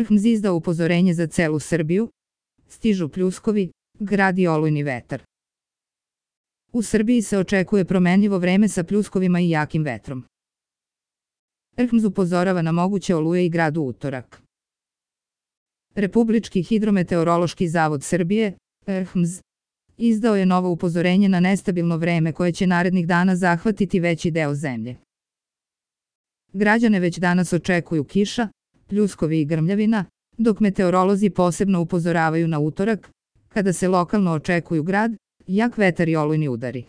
RHMZ izdao upozorenje za celu Srbiju. Stižu pljuskovi, gradi olujni vetar. U Srbiji se očekuje promenljivo vreme sa pljuskovima i jakim vetrom. RHMZ upozorava na moguće oluje i grad u utorak. Republički hidrometeorološki zavod Srbije, RHMZ, izdao je novo upozorenje na nestabilno vreme koje će narednih dana zahvatiti veći deo zemlje. Građane već danas očekuju kiša, pljuskovi i grmljavina, dok meteorolozi posebno upozoravaju na utorak, kada se lokalno očekuju grad, jak vetar i olujni udari.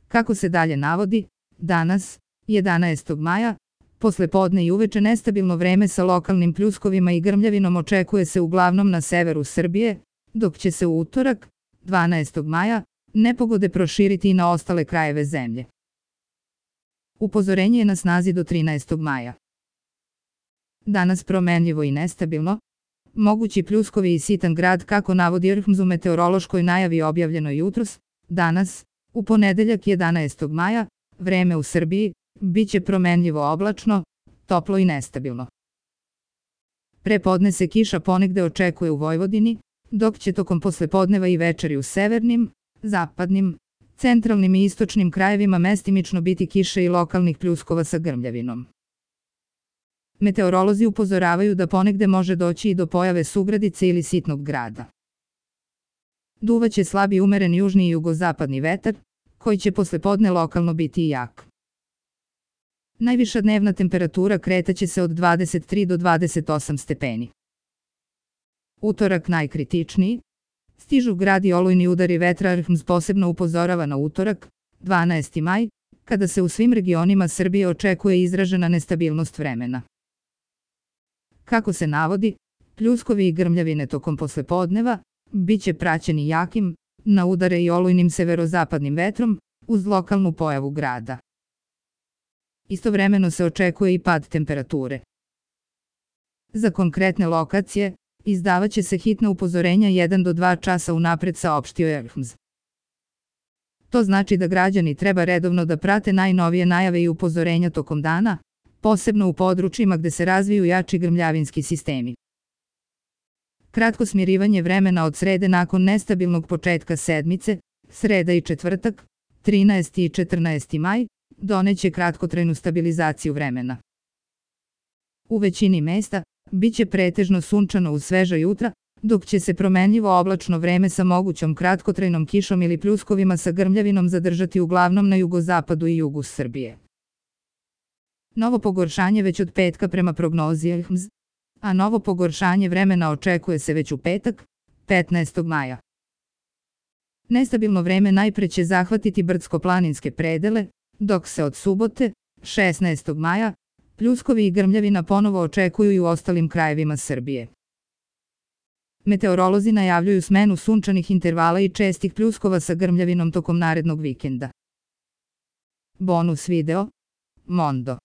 Kako se dalje navodi, danas, 11. maja, posle podne i uveče nestabilno vreme sa lokalnim pljuskovima i grmljavinom očekuje se uglavnom na severu Srbije, dok će se u utorak, 12. maja, nepogode proširiti i na ostale krajeve zemlje. Upozorenje je na snazi do 13. maja. Danas promenljivo i nestabilno, mogući pljuskovi i sitan grad kako navodi RHMZ u meteorološkoj najavi objavljenoj jutros, danas, u ponedeljak 11. maja, vreme u Srbiji, biće promenljivo oblačno, toplo i nestabilno. Pre podne se kiša ponegde očekuje u Vojvodini, dok će tokom poslepodneva i večeri u severnim, zapadnim, centralnim i istočnim krajevima mestimično biti kiše i lokalnih pljuskova sa grmljavinom. Meteorolozi upozoravaju da ponegde može doći i do pojave sugradice ili sitnog grada. Duvaće slab i umeren južni i jugozapadni vetar, koji će poslepodne lokalno biti jak. Najviša dnevna temperatura kretaće se od 23 do 28 stepeni. Utorak najkritičniji. Stižu grad i olujni udari vetra. RHMZ posebno upozorava na utorak, 12. maj, kada se u svim regionima Srbije očekuje izražena nestabilnost vremena. Kako se navodi, pljuskovi i grmljavine tokom poslepodneva biće praćeni jakim, na udare i olujnim severozapadnim vetrom, uz lokalnu pojavu grada. Istovremeno se očekuje i pad temperature. Za konkretne lokacije, izdavaće se hitna upozorenja 1 do 2 časa unapred, saopštio je RHMZ. To znači da građani treba redovno da prate najnovije najave i upozorenja tokom dana, posebno u područjima gde se razviju jači grmljavinski sistemi. Kratko smirivanje vremena od srede nakon nestabilnog početka sedmice, sreda i četvrtak, 13. i 14. maj, doneće kratkotrajnu stabilizaciju vremena. U većini mesta biće pretežno sunčano uz sveža jutra, dok će se promenljivo oblačno vreme sa mogućom kratkotrajnom kišom ili pljuskovima sa grmljavinom zadržati uglavnom na jugozapadu i jugu Srbije. Novo pogoršanje već od petka prema prognozi RHMZ, a novo pogoršanje vremena očekuje se već u petak, 15. maja. Nestabilno vreme najpre će zahvatiti brdsko-planinske predele, dok se od subote, 16. maja, pljuskovi i grmljavina ponovo očekuju i u ostalim krajevima Srbije. Meteorolozi najavljuju smenu sunčanih intervala i čestih pljuskova sa grmljavinom tokom narednog vikenda. Bonus video. Mondo.